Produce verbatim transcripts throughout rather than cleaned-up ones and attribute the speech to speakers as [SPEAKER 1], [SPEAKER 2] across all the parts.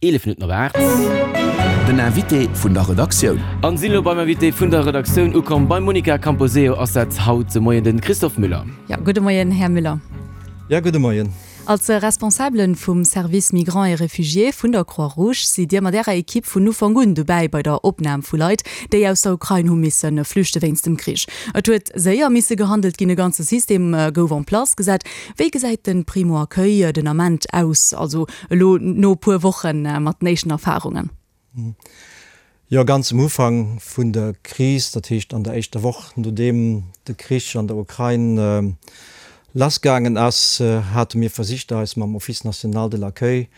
[SPEAKER 1] eelef Minutten op aacht.
[SPEAKER 2] Den Invité vun der Redaktioun.
[SPEAKER 1] An sinn elo beim Invité vun der Redaktioun ukomm. Beim Monica Camposeo ass dat haut de Moien den Christophe Müller.
[SPEAKER 3] Ja, gudde Moien, Här Müller.
[SPEAKER 4] Ja, gudde Moien.
[SPEAKER 3] Als Responsabelen vum Service Migrants et Réfugiés vun der Croix-Rouge sidd Dir mat Ärer Ekipp vun Ufank un dobäi bei der Opnam vu Leit, déi aus der Ukrain hu misse flüchte wéinst dem Krich. Et huet séier misse gehandelt ginn, e ganze System gouf en place gesat. Wéi gesäit de Primo-Accueil den Ament aus, also elo no e puer Woche mat den éischten Erfarungen?
[SPEAKER 4] Jo, ganz um Ufank vun der Kris, dat heescht an der éischter Woch nodeem de Krich an der Ukrain lassgaangen ass, hate mir versicht eis mam Office national de l'accueil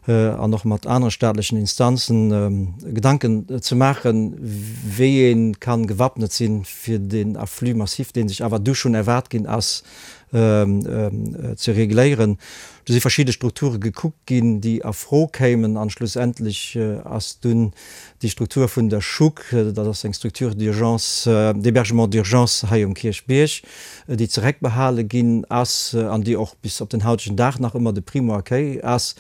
[SPEAKER 4] an och mat anere staatlechen Instanzen Gedanken ze maachen, wéi ee kann gewappnet sinn, fir deen Afflux massif, dee sech awer du schonn erwaart ginn ass, ze regléieren. Do si verschidde Strukture gekuckt ginn, déi a Fro kéimen, an schlussendlech ass dunn déi Struktur vun der SHUC, dat ass eng Structure d'urgence, d'hébergement d'urgence hei um Kierchbierg, déi zereckbehale ginn ass an déi och bis op den hautegen Dag nach ëmmer de Primo-Accueil ass.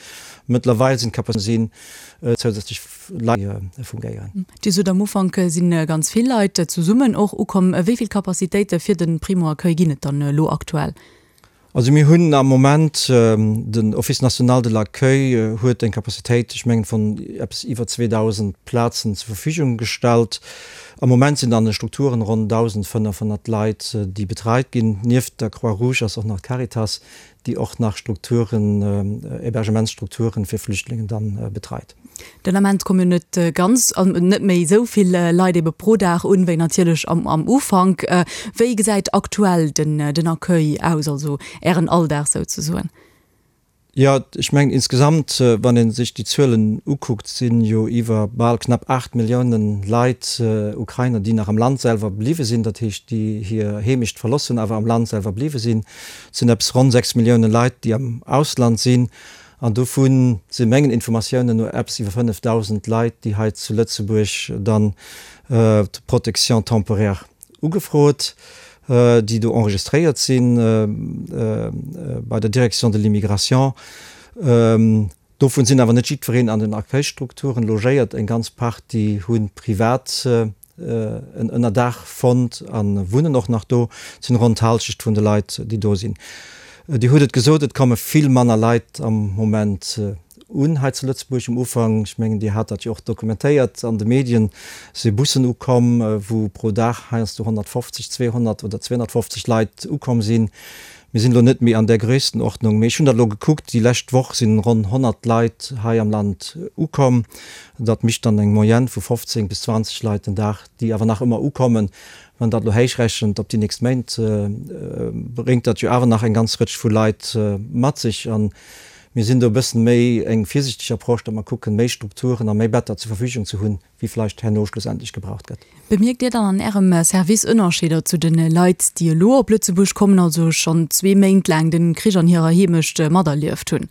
[SPEAKER 4] Mëttlerweil sinn d'Capacitéiten sinn zousätzlech Leit fungéieren.
[SPEAKER 3] Dir sot am Ufank si ganz vill Leit zesummen och ukomm. Wéi vill Capacitéite fir de Primo-Accueil ginn et dann elo aktuell?
[SPEAKER 4] Also mir hunn am Moment, den Office national de l'accueil huet eng Capacitéit, ech mengen, vun eppes iwwer zweedausend Plazen zur Verfügung gestallt. Am Moment sinn an de Strukturen ronn dausendfënnefhonnert Leit, déi betreit ginn. Nieft der Croix-Rouge ass och nach d'Caritas, déi och nach Strukturen, Hébergementsstrukturen fir Flüchtlingen dann betreit.
[SPEAKER 3] Den Ament kommen jo net ganz, net méi esou vill Leit ebe pro Dag un, wéi natierlech am am Ufank. Wéi gesäit aktuell den den Accueil aus, also Ären Alldag souzesoen?
[SPEAKER 4] Jo, ech mengen insgesamt, wann ee sech déi Zuelen ukuckt, si jo iwwer bal knapp aacht Milliounen Leit, Ukrainer, déi nach am Land selwer bliwwe sinn, dat heescht déi hir Heemecht verloss hunn, awer am Land selwer bliwwe sinn. Et sinn eppes ronn sechs Millioune Leit, déi am Ausland sinn. An dovu si mengen Informatiounen no eppes iwwer fënnefdausend Leit, déi hei zu Lëtzebuerg dann d'Protection temporaire ugefrot, déi do enregistréiert si bei der Direction de l'immigration. Dovun sinn awer net jiddwereen an den Accueilstrukturen logéiert. Eng ganz Partie hu privat en Ënnerdaach fonnt a wunnen och nach do. Et sinn ronn d'Hallschecht vun de Leit, déi do sinn. Dir hutt et gesot, et komme vill manner Leit am Moment un hei zu Lëtzebuerg. Um Ufank, ech mengen, Dir hat dat jo och dokumentéiert an de Medien, si Bussen ukomm, wou pro Dag heiansdo honnertfofzeg, zweehonnert oder zweehonnertfofzeg Leit ukomm sinn. Mir sinn elo net méi an där Grösstenordnung, mee ech hunn dat elo gekuckt, déi lescht Woch si ronn honnert Leit hei am Land ukomm. Dat mécht dann eng Moyenne vu fofzéng bis zwanzeg Leit den Dag, déi awer nach ëmmer ukommen. Wann dat elo héichrechent op déi nächst Méint, bréngt dat jo awer nach eng ganz Rëtsch vu Leit mat sech. A mir sinn do e bëssen méi eng virsichteg Approche, datt mer kucken, méi Strukturen a méi Better zur Verfügung ze hunn, wéi vläicht herno schlussendlech gebraucht gëtt.
[SPEAKER 3] Bemierkt Dir dann an Ärem Service Ënnerscheeder zu de Leit, déi elo op Lëtzebuerg kommen, also schonn zwee Méint laang de Krich an hirer Heemecht materlieft hunn?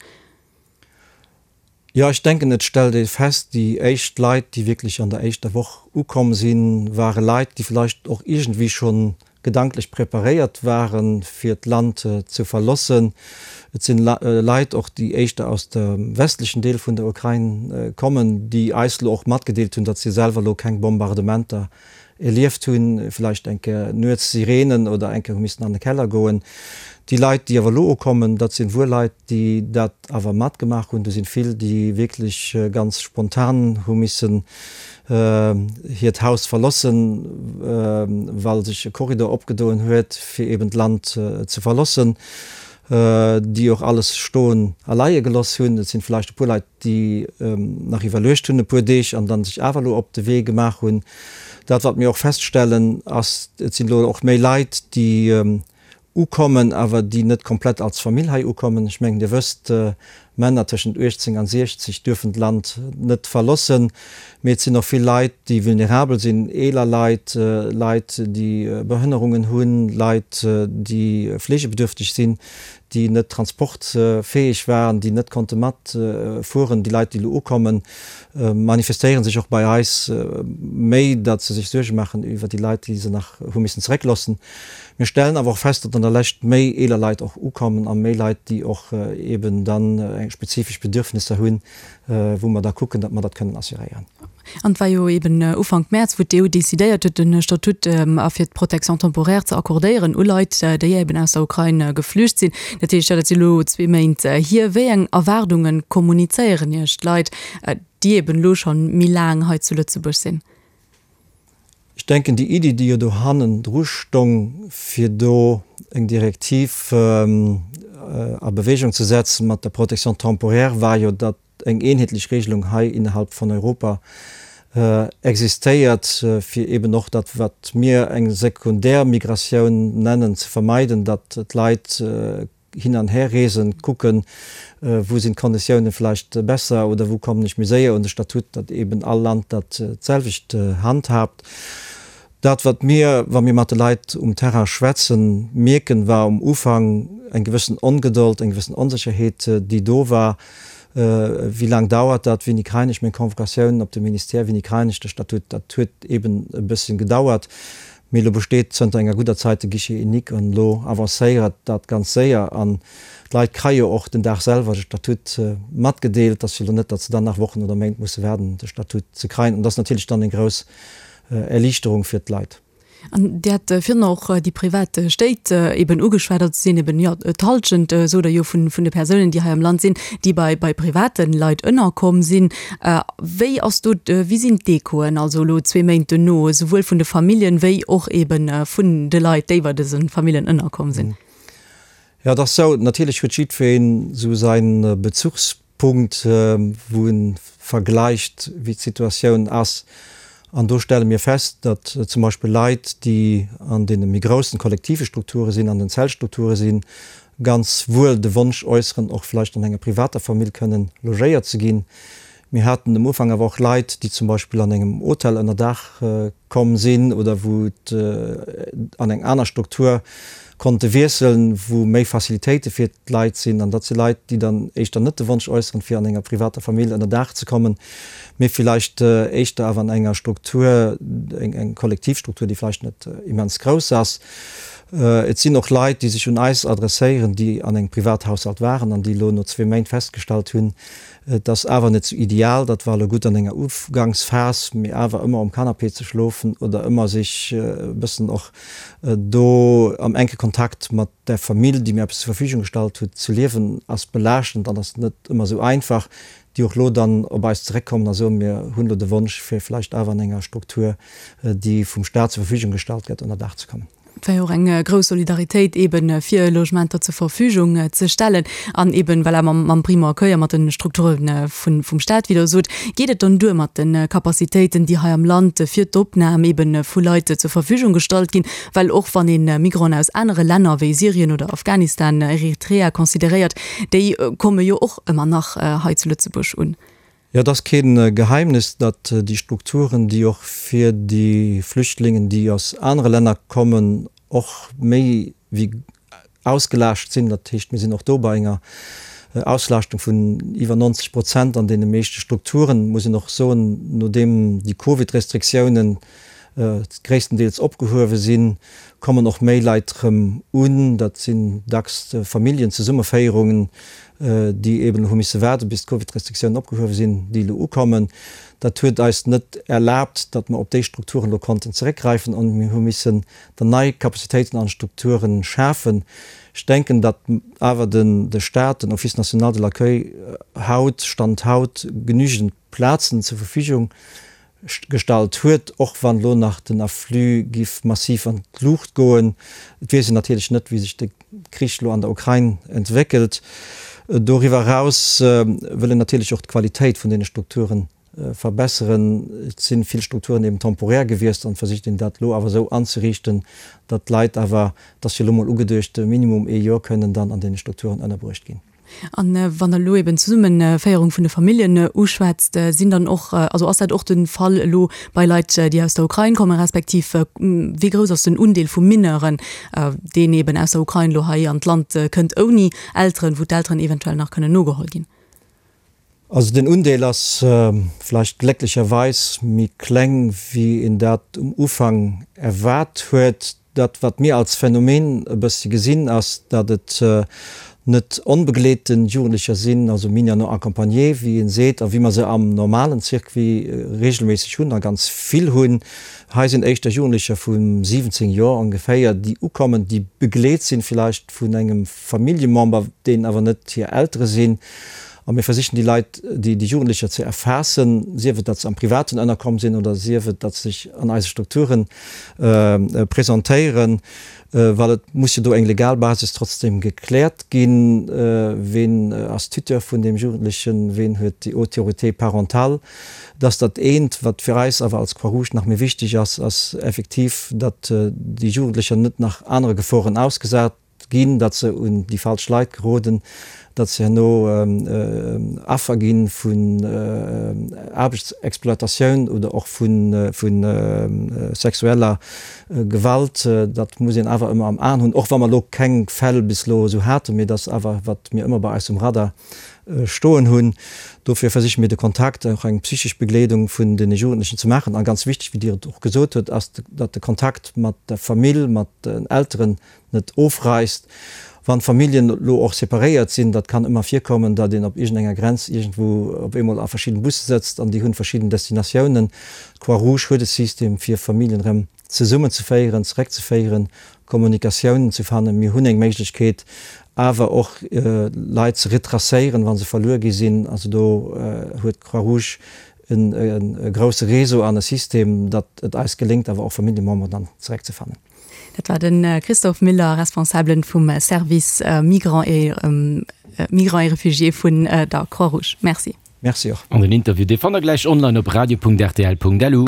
[SPEAKER 4] Jo, ech denken, et stellt ee fest, déi éischt Leit, déi wierklech an der éischter Woch ukomm sinn, ware Leit, déi vläicht och iergendwéi scho gedanklech preparéiert waren, fir d'Land ze verlossen. Et sinn Leit och, déi éischter aus dem westlechen Deel vun der Ukrain kommen, déi eis elo och matgedeelt hunn, datt si selwer elo keng Bombardementer erlieft hunn, vläicht eng Kéier nuets Sirenen oder eng Kéier hu missen an de Keller goen. Déi Leit, déi awer elo ukommen, dat sinn wuel Leit, déi dat awer matgemaach hunn. Do sinn vill, déi wierklech ganz spontan hu missen hiert Haus verlossen, well sech e Korridor opgedoen huet, fir eben d'Land ze verlossen, déi och alles stoen a leie geloss hunn. Et sinn vläicht e puer Leit, déi nach iwwerluecht hunn e puer Deeg an dann sech awer elo op de Wee gemaach hunn. Dat, wat mir och feststellen, ass, et sinn elo och méi Leit, déi ukommen, awer déi net komplett als Famill hei ukommen. Ech mengen, Dir wësst, Männer tëschent uechtzéng an siechzeg duerfen d'Land net verlossen. Mee et sinn och vill Leit, déi vulnerabel sinn, eeler Leit, Leit, déi Behënnerungen hunn, Leit, déi fleegebedürfteg sinn, déi net transportfäeg waren, déi net konnte matfueren. Déi Leit, déi elo ukommen, manifestéiere sech och bei eis méi, datt se sech Suerge maachen iwwer déi Leit, déi se nach hu missen zeréckloossen. Mir stellen awer och fest, datt an der Lescht méi eeler Leit och ukommen a méi Leit, déi och eben dann eng spezifesch Bedürfnisser hunn, wou mer da kucken, datt mer dat kënnen assuréieren.
[SPEAKER 3] An et war jo eben Ufank Mäerz, wou d'EU decidéiert huet, de Statut a fir d'Protection temporaire ze accordéieren u Leit, déi eben aus der Ukrain geflücht sinn. Dat heescht, jo, dat si elo zwee Méint hier. Wéi eng Erwaardunge kommunizéieren Iech d'Leit, déi eben elo scho méi laang hei zu Lëtzebuerg sinn?
[SPEAKER 4] Ech denken, déi Iddi, déi jo do hannendru stong, fir do eng Direktiv a Bewegung ze setzen mat der Protection temporaire, war jo, datt eng eenheetlech Regelung hei innerhalb vun Europa existéiert, fir eben och dat, wat mir eng Sekundärmigratioun nennen, ze vermeiden, datt d'Leit hin an her reesen, kucken, wou sinn d'Konditiounen vläicht besser oder wou kommen ech méi séier un de Statut, datt eben all Land dat d'selwecht handhaabt. Dat, wat mir, wa mir mat de Leit um Terrain schwätzen, mierken, war um Ufank eng gewëssen Ongedold, eng gewëssen Onsécherheet, déi do war, Wéi laang dauert dat, wéini kréien ech meng Convocatioun op de Ministère, wéini kréien ech de Statut? Dat huet eben e bësschen gedauert, mee elo besteet zënter enger gudder Zäit de Guichet unique an elo avancéiert dat ganz séier an d'Leit kréie jo och den Dag selwer de Statut matgedeelt. Et ass jo elo net, datt se dann nach Wochen oder Méint musse waarden, de Statut ze kréien an dat ass natierlech dann eng grouss Erliichterung fir d'Leit.
[SPEAKER 3] An Dir hat virun och déi privat Stéit eben ugeschwat. Dat sinn eben, jo, d'Hallschent, sot Der jo, vun de Persounen, déi hei am Land sinn, déi bei bei private Leit ënnerkomm sinn. Wéi ass do, wéi sinn d'Echoen also elo zwee Méint duerno, esouwuel vun de Familljen wéi och eben vun de Leit, déi bei dëse Familljen ënnerkomm sinn?
[SPEAKER 4] Jo, et ass esou, natierlech huet jiddwereen esou säi Bezugspunkt, wou e vergläicht, wéi d'Situatioun ass. An do stelle mir fest, datt zum Beispill Leit, déi an deene méi groussen kollektive Strukture sinn, an den Zeltstrukture sinn, ganz wuel de Wonsch äusseren, och vläicht an enger privater Famill kënnen logéiert ze ginn. Mir haten um Ufank awer och Leit, déi zum Beispill an engem Hotel ënnerdaach komm sinn oder wou et an eng aner Struktur konnte wiesselen, wou méi Facilitéite fir d'Leit sinn. An dat si Leit, déi dann éischter net de Wonsch äusseren, fir an enger privater Famill ënnerdaach ze kommen, mee villäicht éischter awer an enger Struktur, eng Kollektivstruktur, déi vläicht net immens grouss ass. Et sinn och Leit, déi sech un eis adresséieren, déi an engem Privathaushalt waren an déi elo no zwee Méint festgestallt hunn, Et ass awer net sou ideal, dat war elo gutt an enger Uganksphas, mee awer ëmmer um Canapé ze schlofen oder ëmmer sech e bëssen och do am enke Kontakt mat der Famill, déi mir eppes zur Verfügung gestallt huet, ze liewen, ass belaaschtend an ass net ëmmer sou einfach, déi och elo dann op eis zeréckkommen a soen, mir hunn elo de Wonsch, fir vläicht awer an enger Struktur, déi vum Staat zur Verfügung gestallt gëtt, ënnerdaach ze kommen.
[SPEAKER 3] Et war jo och eng grouss Solidaritéit eeben, fir Logementer zur Verfügung ze stellen. An eeben, voilà, mam, mam Primo accueil a mat de Strukture vun, vum Staat, wéi Der sot, geet et dann duer mat de Capacitéiten, déi hei am Land fir d'Opnam eeben vu Leit zur Verfügung gestallt ginn? Well och wann ee Migranten aus anere Länner wéi Syrien oder Afghanistan, Eritrea consideréiert, déi komme jo och ëmmer nach hei zu Lëtzebuerg un.
[SPEAKER 4] Jo, et ass kee Geheimnis, datt déi Strukturen, déi och fir déi Flüchtlingen, déi aus anere Länner kommen, och méi wéi ausgelaascht sinn. Dat heescht, mir sinn och do bei enger Auslaaschtung vun iwwer neunzeg Prozent an deene meeschte Strukturen. Muss een och soen, nodeem déi Covid-Restriktiounen gréisstendeels opgehuewe sinn, kommen och méi Leit erëm un. Dat sinn dacks Familljenzesummeféierungen, déi eben hu misse waarden, bis d'Covid-Restriktiounen opgehuewe sinn, déi elo ukommen. Dat huet eis net erlaabt, datt mer op déi Strukturen elo konnten zeréckgräifen an mir hu missen dann nei Capacitéiten an Strukture schafen. Ech denken, datt awer de Staat, den Office national de l'accueil haut, Stand haut, genügend Plazen zur Verfügung gestallt huet, och wann elo nach den Afflux giff massiv an d'Luucht goen. Et weess een natierlech net, wéi sech de Krich elo an der Ukrain entwéckelt. Doriwwer eraus wëll een natierlech och d'Qualitéit vun deene Strukture verbesseren. Et si vill Strukturen eben temporär gewiescht an et versicht een dat elo awer esou anzeriichten, datt d'Leit awer, et ass jo elo mol ugeduecht, minimum ee Joer kënnen dann an deene Strukturen ënnerbruecht ginn.
[SPEAKER 3] An wann Der elo eben d'Zesummeféierung vun de Familljen uschwätzt, sinn dann och, also ass dat och de Fall elo bei Leit, déi aus der Ukrain kommen, respektiv wéi grouss ass den Undeel vu Mineuren, deen eben aus der Ukrain elo hei an d'Land kënnt ouni Elteren, wou d'Elteren eventuell nach kënnen nogeholl ginn?
[SPEAKER 4] Also den Undeel ass vläicht glécklecherweis méi kleng, wéi een dat um Ufank erwaart huet. Dat, wat mir als Phänomen e bëssi gesinn, ass, datt et net onbegleete Jugendlecher sinn, also Mineurs non accompagnés, wéi een seet, a wéi mer se am normalen Circuit regelméisseg hunn a ganz vill hunn. Hei sinn éischter Jugendlecher vu siwwenzéng Joer ongeféier, déi ukommen, déi begleet sinn villäicht vun engem Familljemember, deen awer net hir Eltere sinn. A mir versichen déi Leit, déi Jugendlecher ze erfaassen, sief et, datt se am Privaten ënnerkomm sinn oder sief et, datt se sech an eise Strukture presentéieren, well et muss jo do eng legal Basis trotzdem gekläert ginn, Ween ass Tuteur vun deem Jugendlechen, ween huet déi Autorité parentale. Dat ass dat eent. Wat fir eis awer als Croix-Rouge nach méi wichteg ass, ass effektiv, datt déi Jugendlecher net nach anere Geforen ausgesat ginn, datt se un déi falsch Leit geroden, datt se herno Affer gi vun Aarbechtsexploitatioun oder och vu sexueller Gewalt. Dat muss een awer ëmmer am Aen hunn, och wa mer elo keng Fäll bis elo esou haten, mee dat ass awer, wat mir ëmmer bei eis um Radar stoen hunn. Dofir versiche mir de Kontakt, och eng psychesch Begleedung vun deene Jugendlechen ze maachen. A ganz wichteg, wéi Dir et och gesot hutt, ass, datt de Kontakt mat der Famill, mat den Elteren net ofreisst. Wann d'Familljen elo och separéiert sinn, dat kann ëmmer virkommen, datt een op iergendenger Grenz iergendwou op eemol a verschidden Busse sëtzt an déi hunn verschidden Destinatiounen. D'Croix-Rouge huet e System, fir Familljen erëm zesummenzeféieren, zeréckzeféieren, Kommunikatiounen ze fannen. Mir hunn eng Méiglechkeet, awer och Leit ze retracéieren, wa se verluer gi sinn. Also do huet d'Croix-Rouge e grousse Réseau an e System, datt et eis geléngt, awer och Familljememberen dann zeréckzefannen.
[SPEAKER 3] Dat war de Christophe Miller, Responsabelen vum Service Migrants et Migrants et Réfugiés vun der Croix-Rouge. Merci.
[SPEAKER 4] Merci och.
[SPEAKER 1] An den Interview, dee fannt der gläich online op radio.rtl.lu.